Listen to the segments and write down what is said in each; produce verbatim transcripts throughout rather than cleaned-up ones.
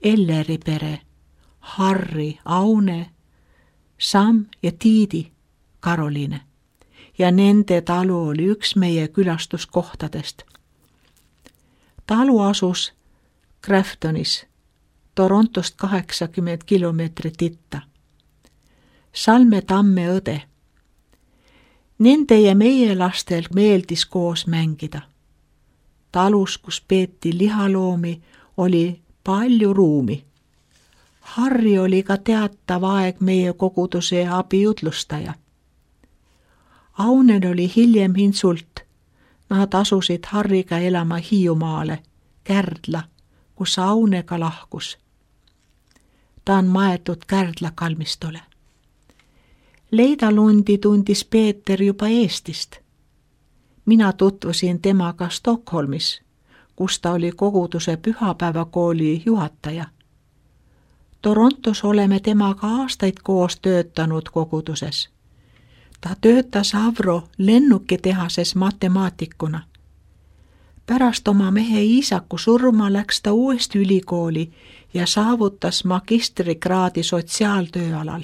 Elleri pere, Harri, Aune, Sam ja Tiidi, Karoliine. Ja nende talu oli üks meie külastuskohtadest. Talu asus Graftonis, Torontost kaheksakümmend kilomeetrit itta. Salme tamme õde. Nende ja meie lastel meeldis koos mängida. Talus, kus peeti lihaloomi, oli palju ruumi. Harri oli ka teatav aeg meie koguduse abijutlustaja. Aunel oli hiljem insult. Nad asusid Harriga elama Hiiumaale, Kärdla, kus Aunega lahkus. Ta on maetud Kärdla kalmistule. Leidalundi tundis Peeter juba Eestist. Mina tutvusin temaga Stockholmis, kus ta oli koguduse pühapäevakooli juhataja. Torontos oleme temaga aastaid koos töötanud koguduses. Ta töötas Avro lennukitehases matemaatikuna. Pärast oma mehe Iisaku surma läks ta uuesti ülikooli ja saavutas magistrikraadi sotsiaaltööalal.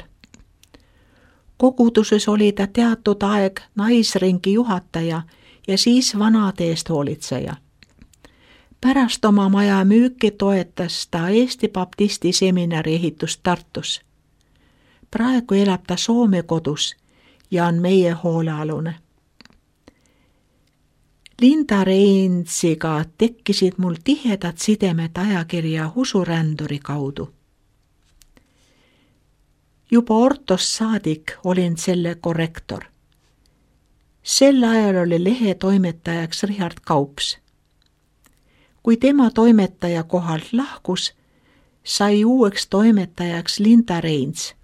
Koguduses oli ta teatud aeg naisringi juhataja ja siis vanade eest hoolitseja. Pärast oma maja müüki toetas ta Eesti Baptisti seminari ehitust Tartus. Praegu elab ta Soome kodus ja on meie hoolealune. Linda Reinsiga tekkisid mul tihedad sidemed ajakirja Usuränduri kaudu. Juba Ortost saadik olin selle korrektor. Sel ajal oli lehe toimetajaks Richard Kaups. Kui tema toimetaja kohalt lahkus, sai uueks toimetajaks Linda Reins.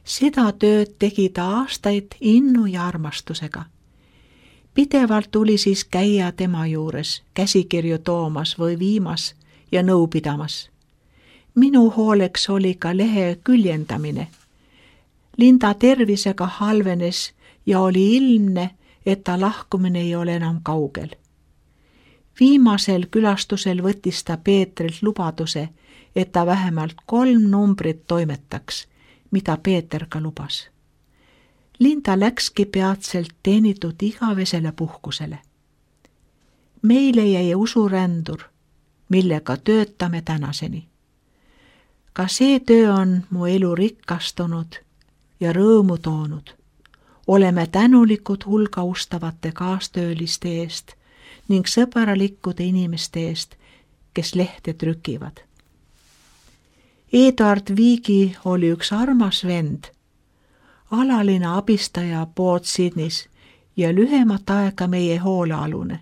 Seda tööd tegi ta aastaid innu ja armastusega. Pidevalt tuli siis käia tema juures, käsikirju toomas või viimas ja nõu pidamas. Minu hooleks oli ka lehe küljendamine. Linda tervisega halvenes ja oli ilmne, et ta lahkumine ei ole enam kaugel. Viimasel külastusel võttis ta Peetrilt lubaduse, et ta vähemalt kolm numbrit toimetaks, mida Peeter ka lubas. Linda läkski peatselt teenitud igavesele puhkusele. Meile jäi Usurändur, millega töötame tänaseni. Ka see töö on mu elu rikastunud ja rõõmu toonud. Oleme tänulikud hulga ustavate kaastööliste eest ning sõbralikkude inimeste eest, kes lehte trükivad. Eduard Viigi oli üks armas vend, alaline abistaja Port Sydneys ja lühemat aega meie hoolealune.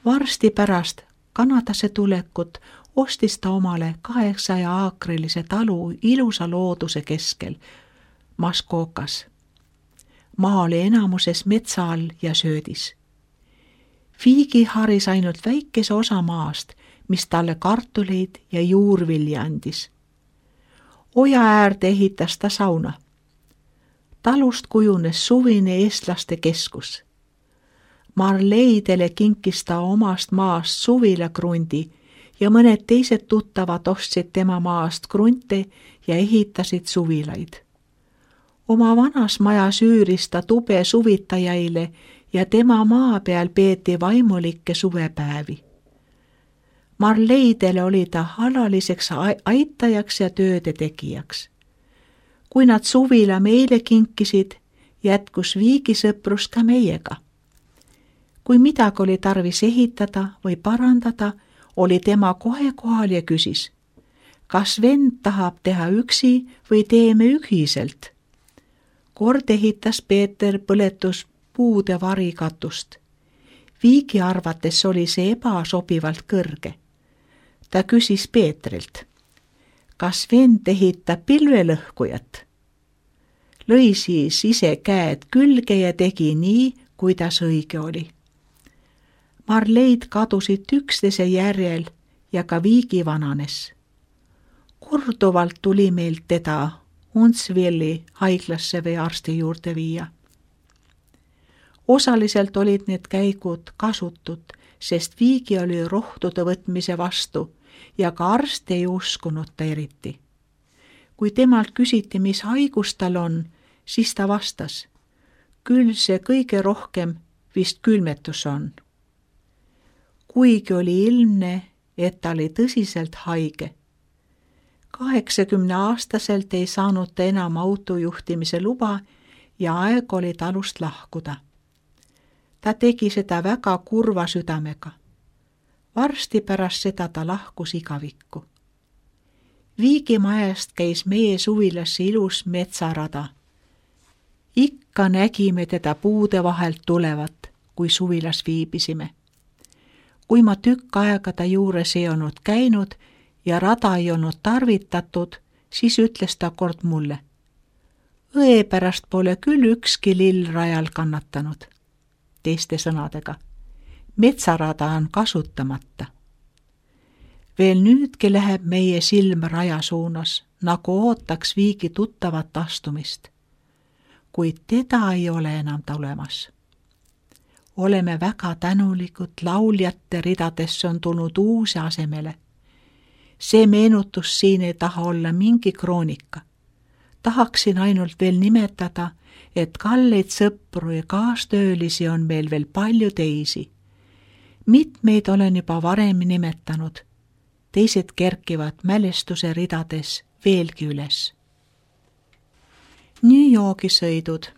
Varsti pärast Kanadasse tulekut ostis ta omale kaheksaja aakrilise talu ilusa looduse keskel, Muskokas. Maa oli enamuses metsa all ja söödis. Viigi haris ainult väikese osa maast, mis talle kartuleid ja juurvilja andis. Oja äärde ehitas ta sauna. Talust kujunes suvine eestlaste keskus. Marleidele kinkis ta omast maast suvilakrundi ja mõned teised tuttavad ostsid tema maast krunte ja ehitasid suvilaid. Oma vanas majas üüris ta tube suvitajaile ja tema maa peal peeti vaimulikke suvepäevi. Marleidele oli ta alaliseks aitajaks ja tööde tegijaks. Kui nad suvila meile kinkisid, jätkus Viigi sõprus ka meiega. Kui midagi oli tarvis ehitada või parandada, oli tema kohe kohal ja küsis, kas vend tahab teha üksi või teeme ühiselt. Kord ehitas Peeter põletus puude varikatust. Viigi arvates oli see ebasobivalt kõrge. Ta küsis Peetrilt, kas vend ehitab pilvelõhkujat. Lõi siis ise käed külge ja tegi nii, kuidas õige oli. Marleid kadusid üksteise järjel ja ka Viigi vananes. Korduvalt tuli meilt teda Huntsvilli haiglasse või arsti juurde viia. Osaliselt olid need käigud kasutud, sest Viigi oli rohtude võtmise vastu ja ka arst ei uskunud ta eriti. Kui temalt küsiti, mis haigus tal on, siis ta vastas, küll see kõige rohkem vist külmetus on. Kuigi oli ilmne, et ta oli tõsiselt haige. kaheksakümne aastaselt ei saanud ta enam autojuhtimise luba ja aeg oli talust lahkuda. Ta tegi seda väga kurva südamega. Varsti pärast seda ta lahkus igavikku. Viigimajast käis meie suvilasse ilus metsarada. Ikka nägime teda puude vahelt tulevat, kui suvilas viibisime. Kui ma tükk aega ta juures ei olnud käinud ja rada ei olnud tarvitatud, siis ütles ta kord mulle. Õe pärast pole küll ükski lill rajal kannatanud. Teiste sõnadega, metsarada on kasutamata. Veel nüüdki läheb meie silm raja suunas, nagu ootaks Viigi tuttavat astumist. Kuid teda ei ole enam tulemas. Oleme väga tänulikud, lauljate ridadesse on tulnud uusi asemele. See meenutus siin ei taha olla mingi kroonika. Tahaksin ainult veel nimetada, et kalleid sõpru ja kaastöölisi on meil veel palju teisi. Mitmeid olen juba varem nimetanud. Teised kerkivad mälestuse ridades veelgi üles. New Yorgi sõidud.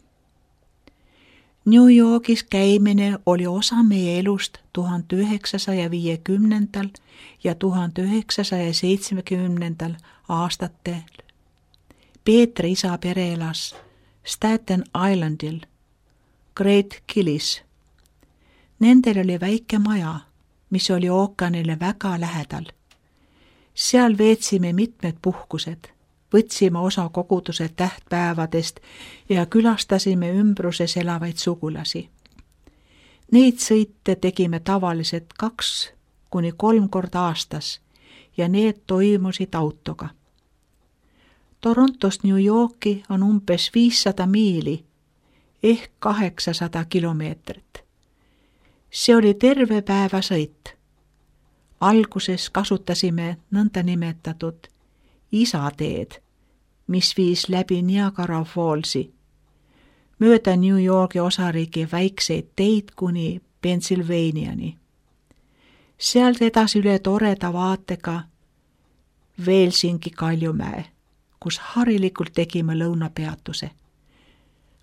New Yorgis käimine oli osa meie elust tuhande üheksasaja viiekümnendal ja tuhande üheksasaja seitsmekümnendal aastatel. Peetri isa pere elas Staten Islandil, Great Killis. Nendel oli väike maja, mis oli ookeanile väga lähedal. Seal veetsime mitmed puhkused, võtsime osa koguduse tähtpäevadest ja külastasime ümbruses elavaid sugulasi. Neid sõite tegime tavaliselt kaks kuni kolm korda aastas ja need toimusid autoga. Torontost New Yorki on umbes viissada miili ehk kaheksasada kilomeetrit. See oli terve päeva sõit. Alguses kasutasime nõnda nimetatud isateed, mis viis läbi Niagara Fallsi, mööda New Yorgi osariigi väikseid teid kuni Pennsylvaniani. Sealt edasi üle toreda vaatega Velsingi Kaljumäe, kus harilikult tegime lõunapeatuse.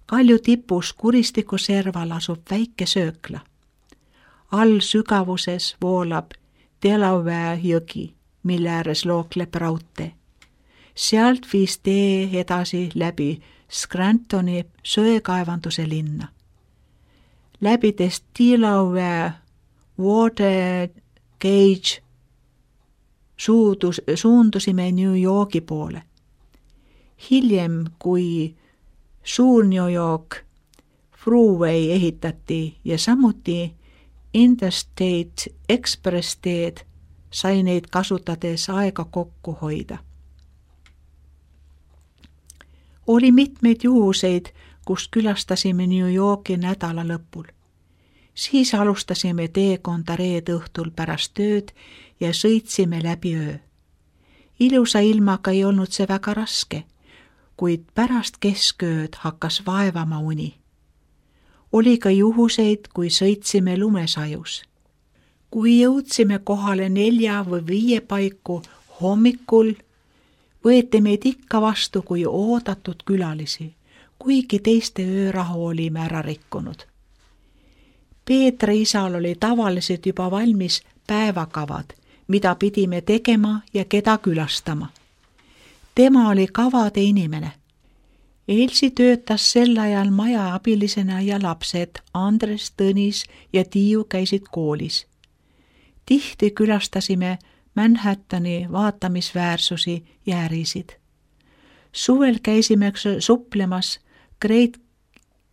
Kalju tipus kuristiku serval asub väike söökla. All sügavuses voolab Delaware jõgi, mille ääres lookleb raudtee. Sealt viis tee edasi läbi Scrantoni söekaevanduse linna. Läbides Delaware Water Gauge suudus, suundusime New Yorgi poole. Hiljem, kui suur New York Freeway ehitati ja samuti Interstate Express teed, sai neid kasutades aega kokku hoida. Oli mitmeid juhuseid, kus külastasime New Yorki nädala lõpul. Siis alustasime teekonda reede õhtul pärast tööd ja sõitsime läbi öö. Ilusa ilmaga ei olnud see väga raske, kuid pärast keskööd hakkas vaevama uni. Oli ka juhuseid, kui sõitsime lumesajus. Kui jõudsime kohale nelja või viie paiku hommikul, võeti meid ikka vastu kui oodatud külalisi, kuigi teiste öörahu olime ära rikkunud. Peetri isal oli tavaliselt juba valmis päevakavad, mida pidime tegema ja keda külastama. Tema oli kavade inimene. Elsi töötas sel ajal maja abilisena ja lapsed Andres, Tõnis ja Tiiu käisid koolis. Tihti külastasime Manhattani vaatamisväärsusi ja ärisid. Suvel käisime suplemas Great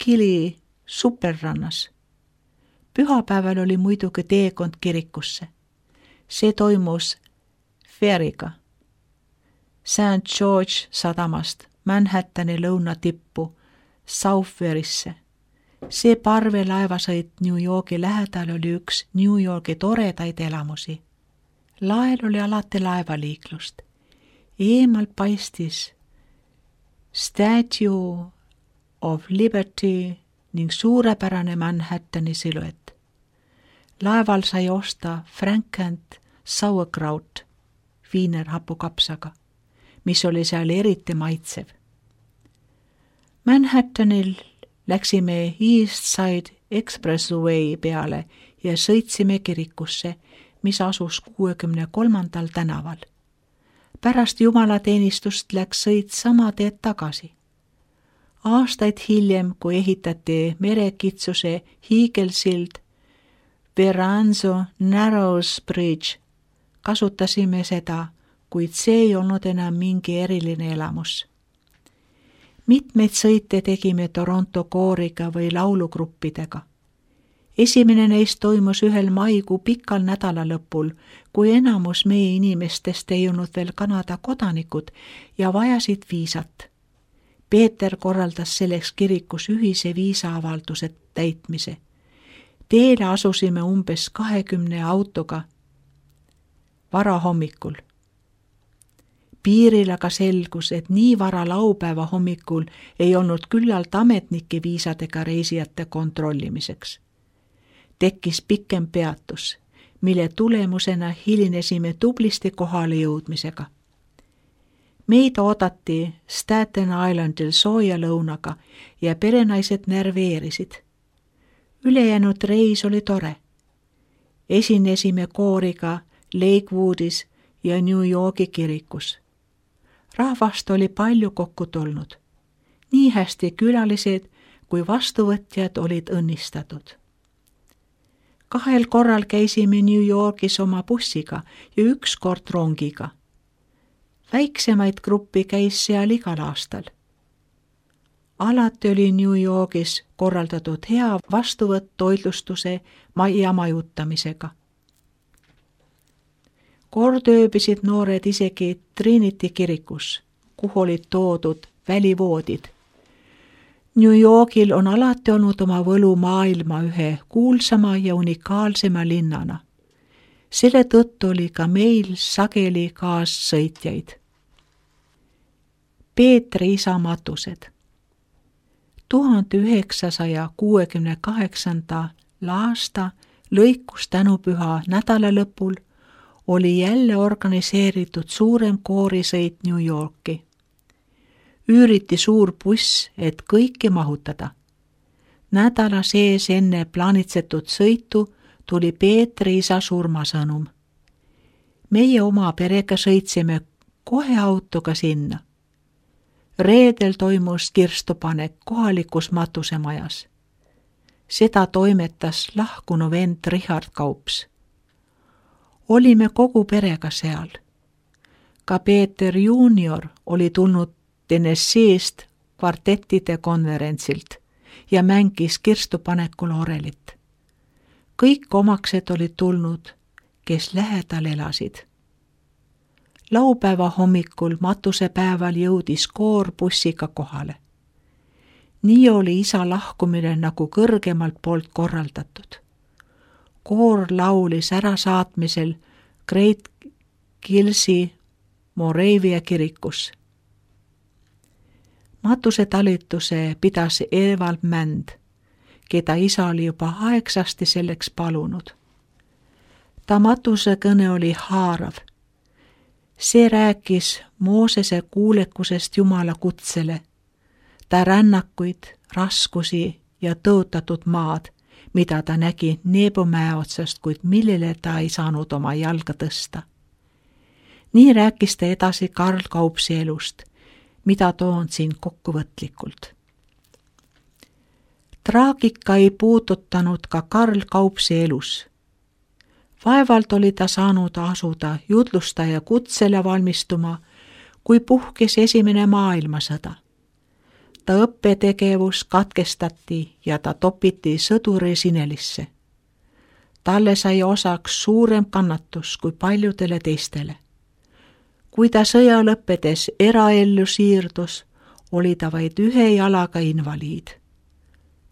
Killi superrannas. Pühapäeval oli muidugi teekond kirikusse. See toimus feriga Saint George sadamast Manhattani lõunatippu Southwarisse. See parvelaevasõit New Yorgi lähedal oli üks New Yorgi toredaid elamusi. Lael oli alati laevaliiklust. Eemal paistis Statue of Liberty ning suurepärane Manhattani siluett. Laeval sai osta Frank and Sauerkraut viiner hapukapsaga, mis oli seal eriti maitsev. Manhattanil läksime East Side Expressway peale ja sõitsime kirikusse, mis asus kuuekümne kolmandal tänaval. Pärast jumalateenistust läks sõit sama teed tagasi. Aastaid hiljem, kui ehitati merekitsuse hiigelsild Verranzo Narrows Bridge, kasutasime seda, kuid see ei olnud enam mingi eriline elamus. Mitmeid sõite tegime Toronto kooriga või laulugruppidega. Esimene neist toimus ühel maikuu pikal nädalalõpul, kui enamus meie inimestest ei olnud veel Kanada kodanikud ja vajasid viisat. Peeter korraldas selleks kirikus ühise viisaavalduse täitmise. Teele asusime umbes kahekümne autoga varahommikul. Piiril aga selgus, et nii vara laupäeva hommikul ei olnud küllalt ametnike viisadega reisijate kontrollimiseks. Tekkis pikem peatus, mille tulemusena hilinesime tublisti kohale jõudmisega. Meid oodati Staten Islandil sooja lõunaga ja perenaised närveerisid. Ülejäänud reis oli tore. Esinesime kooriga Lakewoodis ja New Yorki kirikus. Rahvast oli palju kokku tulnud. Nii hästi külalised kui vastuvõtjad olid õnnistatud. Kahel korral käisime New Yorgis oma bussiga ja üks kord rongiga. Väiksemaid gruppi käis seal igal aastal. Alati oli New Yorgis korraldatud hea vastuvõtt toitlustuse ja majutamisega. Kord ööbisid noored isegi Trinity kirikus, kuhu olid toodud välivoodid. New Yorgil on alati olnud oma võlu maailma ühe kuulsama ja unikaalsema linnana. Selle tõttu oli ka meil sageli kaassõitjaid. Peetri isa matused. tuhande üheksasaja kuuekümne kaheksanda aasta lõikus tänupüha nädalalõpul oli jälle organiseeritud suurem koorisõit New Yorki. Üüriti suur buss, et kõiki mahutada. Nädala sees enne plaanitsetud sõitu tuli Peetri isa surmasõnum. Meie oma perega sõitsime kohe autoga sinna. Reedel toimus kirstupanek kohalikus matusemajas. Seda toimetas lahkunu vend Richard Kaups. Olime kogu perega seal. Ka Peeter juunior oli tulnud Tennesseest kvartettide konverentsilt ja mängis kirstupanekul orelit. Kõik omaksed olid tulnud, kes lähedal elasid. Laupäeva hommikul matusepäeval jõudis koor bussiga kohale. Nii oli isa lahkumine nagu kõrgemalt poolt korraldatud. Koor laulis ärasaatmisel Great Killsi Moravia kirikus. Matusetalituse pidas Evald Mänd, keda isa oli juba aegsasti selleks palunud. Ta matusekõne oli haarav. See rääkis Moosese kuulekusest Jumala kutsele, ta rännakuid, raskusi ja tõotatud maad, mida ta nägi Nebo mäe otsast, kuid millele ta ei saanud oma jalga tõsta. Nii rääkis ta edasi Karl Kaupsi elust, mida toon siin kokkuvõtlikult. Traagika ei puudutanud ka Karl Kaupsi elus. Vaevalt oli ta saanud asuda jutlustaja kutsele valmistuma, kui puhkes esimene maailmasõda. Ta õppetegevus katkestati ja ta topiti sõduri sinelisse. Talle sai osaks suurem kannatus kui paljudele teistele. Kui ta sõja lõppedes eraellu siirdus, oli ta vaid ühe jalaga invaliid.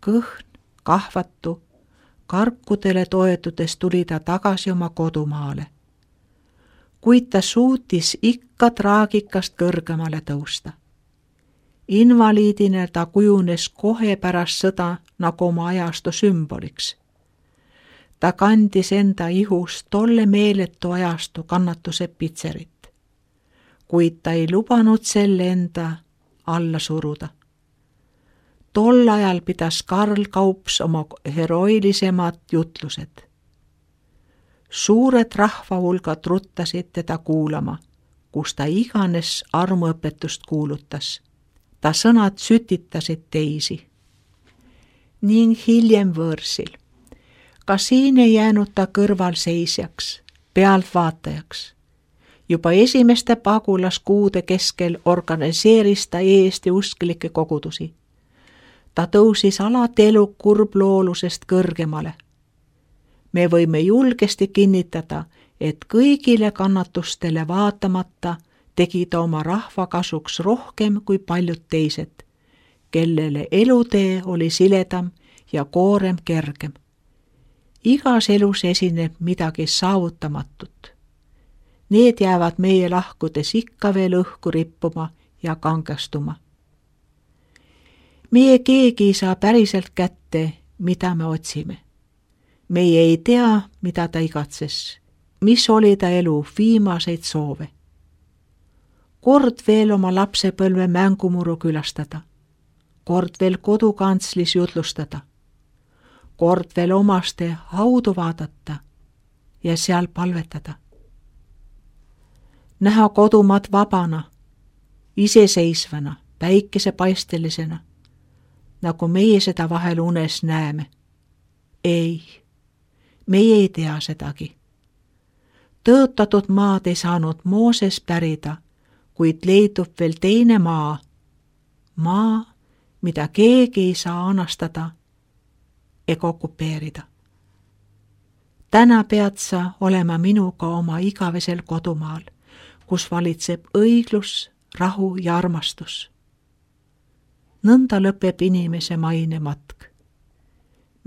Kõhn, kahvatu, karkudele toetudes tuli ta tagasi oma kodumaale. kuid ta suutis ikka traagikast kõrgemale tõusta. Invaliidina ta kujunes kohe pärast sõda nagu oma ajastu sümboliks. Ta kandis enda ihus tolle meeletu ajastu kannatuse pitserit, kuid ta ei lubanud selle enda alla suruda. Tol ajal pidas Karl Kaups oma heroilisemad jutlused. Suured rahvahulgad ruttasid teda kuulama, kus ta iganes armuõpetust kuulutas. Ta sõnad sütitasid teisi. Ning hiljem võõrsil. Ka siin ei jäänud ta kõrvalseisjaks, pealtvaatajaks. Juba esimeste pagulaskuude keskel organiseeris ta Eesti usklikke kogudusi. Ta tõusis alati elu kurbloolusest kõrgemale. Me võime julgesti kinnitada, et kõigile kannatustele vaatamata tegi ta oma rahva kasuks rohkem kui paljud teised, kellele elutee oli siledam ja koorem kergem. Igas elus esineb midagi saavutamatut. Need jäävad meie lahkudes ikka veel õhku rippuma ja kangestuma. Meie keegi ei saa päriselt kätte, mida me otsime. Meie ei tea, mida ta igatses, mis oli ta elu viimaseid soove. Kord veel oma lapsepõlve mängumuru külastada, kord veel kodukantslis jutlustada, kord veel omaste haudu vaadata ja seal palvetada. Näha kodumaad vabana, iseseisvana, päikesepaistelisena, nagu meie seda vahel unes näeme. Ei, meie ei tea sedagi. Tõotatud maad ei saanud Mooses pärida, kuid leidub veel teine maa, maa, mida keegi ei saa anastada ega okupeerida. Täna pead sa olema minuga oma igavesel kodumaal, kus valitseb õiglus, rahu ja armastus. Nõnda lõpeb inimese maine matk.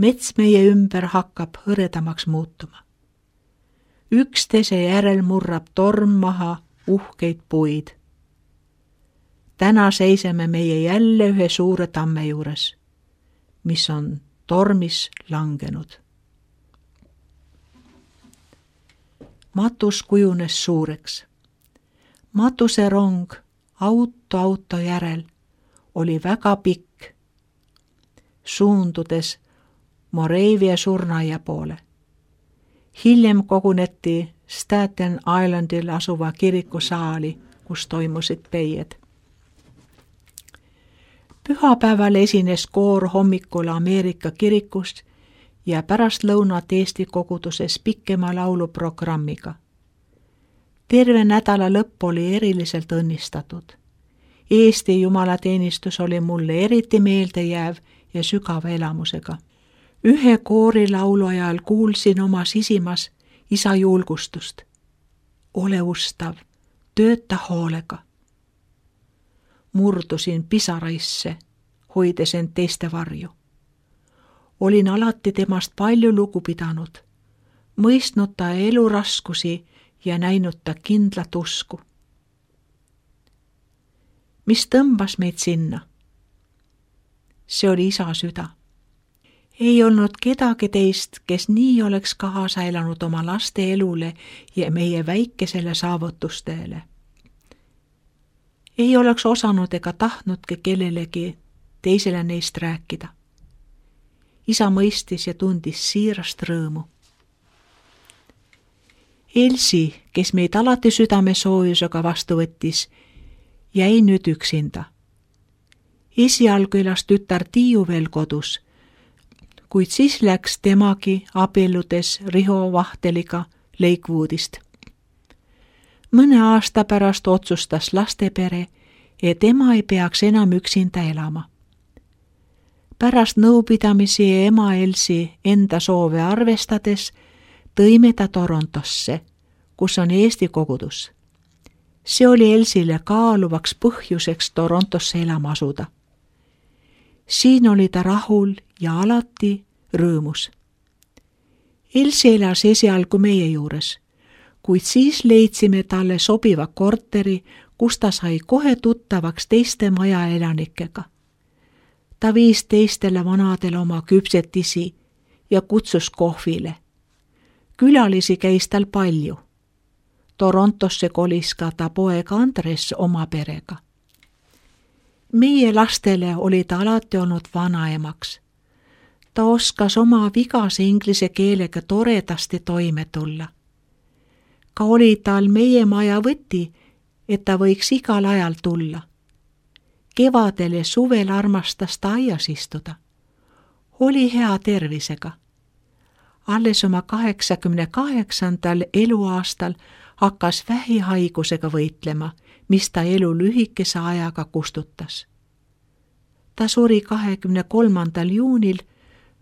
Mets meie ümber hakkab hõredamaks muutuma. Üksteise järel murrab torm maha uhkeid puid. Täna seiseme meie jälle ühe suure tamme juures, mis on tormis langenud. Matus kujunes suureks. Matuse rong auto auto järel oli väga pikk, suundudes Moravia surnaia poole. Hiljem koguneti Staten Islandil asuva kirikusaali, kus toimusid peied. Pühapäeval esines koor hommikul Ameerika kirikust ja pärast lõunat Eesti koguduses pikema lauluprogrammiga. Terve nädala lõpp oli eriliselt õnnistatud. Eesti jumalateenistus oli mulle eriti meeldejääv ja sügava elamusega. Ühe koori laulu ajal kuulsin oma sisimas isa julgustust. Ole ustav, tööta hoolega. Murdusin pisaraisse, hoides end teiste varju. Olin alati temast palju lugu pidanud, mõistnud ta eluraskusi ja näinud ta kindlat usku. Mis tõmbas meid sinna? See oli isa süda. Ei olnud kedagi teist, kes nii oleks kaasa elanud oma laste elule ja meie väikesele saavutustele. Ei oleks osanud ega tahtnudki kellelegi teisele neist rääkida. Isa mõistis ja tundis siirast rõõmu. Elsi, kes meid alati südame soojusega vastu võttis, jäi nüüd üksinda. Esialgu elas tütar Tiiu veel kodus, kuid siis läks temagi abielludes Riho Vahteliga Lakewoodist. Mõne aasta pärast otsustas lastepere, et ema ei peaks enam üksinda elama. Pärast nõupidamisi ja ema Elsi enda soove arvestades tõime ta Torontosse, kus on Eesti kogudus. See oli Elsile kaaluvaks põhjuseks Torontosse elama asuda. Siin oli ta rahul ja alati rõõmus. Elsi elas esialgu meie juures, kuid siis leidsime talle sobiva korteri, kus ta sai kohe tuttavaks teiste majaelanikega. Ta viis teistele vanadele oma küpsetisi ja kutsus kohvile. Külalisi käis tal palju. Torontosse kolis ka ta poeg Andres oma perega. Meie lastele oli ta alati olnud vanaemaks. Ta oskas oma vigase inglise keelega toredasti toime tulla. Ka oli tal meie maja võti, et ta võiks igal ajal tulla. Kevadel ja suvel armastas ta aias istuda. Oli hea tervisega. Alles oma kaheksakümne kaheksandal eluaastal hakkas vähihaigusega võitlema, mis ta elu lühikese ajaga kustutas. Ta suri kahekümne kolmandal juunil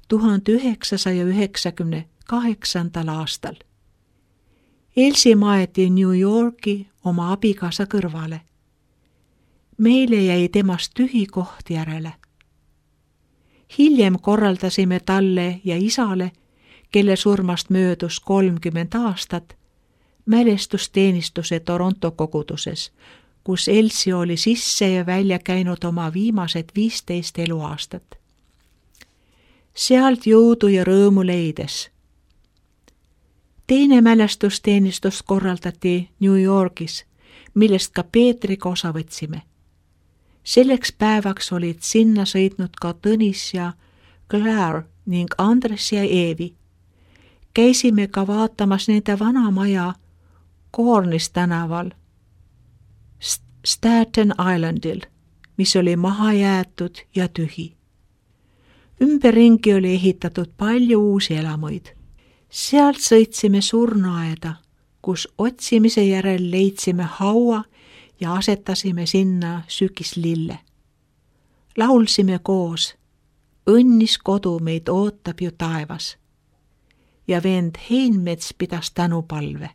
tuhande üheksasaja üheksakümne kaheksandal aastal. Elsi maeti New Yorki oma abikaasa kõrvale. Meile jäi temast tühi koht järele. Hiljem korraldasime talle ja isale, kelle surmast möödus kolmkümmend aastat, mälestusteenistuse Toronto koguduses, kus Elsi oli sisse ja välja käinud oma viimased viisteist eluaastat. Sealt jõudu ja rõõmu leides. Teine mälestusteenistus korraldati New Yorgis, millest ka Peetriga osa võtsime. Selleks päevaks olid sinna sõitnud ka Tõnis ja Claire ning Andres ja Eevi. Käisime ka vaatamas nende vana maja Cornis tänaval Staten Islandil, mis oli maha jäetud ja tühi. Ümberringi oli ehitatud palju uusi elamuid. Sealt sõitsime surnuaeda, kus otsimise järel leidsime haua ja asetasime sinna sügislille. Laulsime koos, õnnis kodu meid ootab ju taevas. Ja vend Heinmets pidas tänupalve.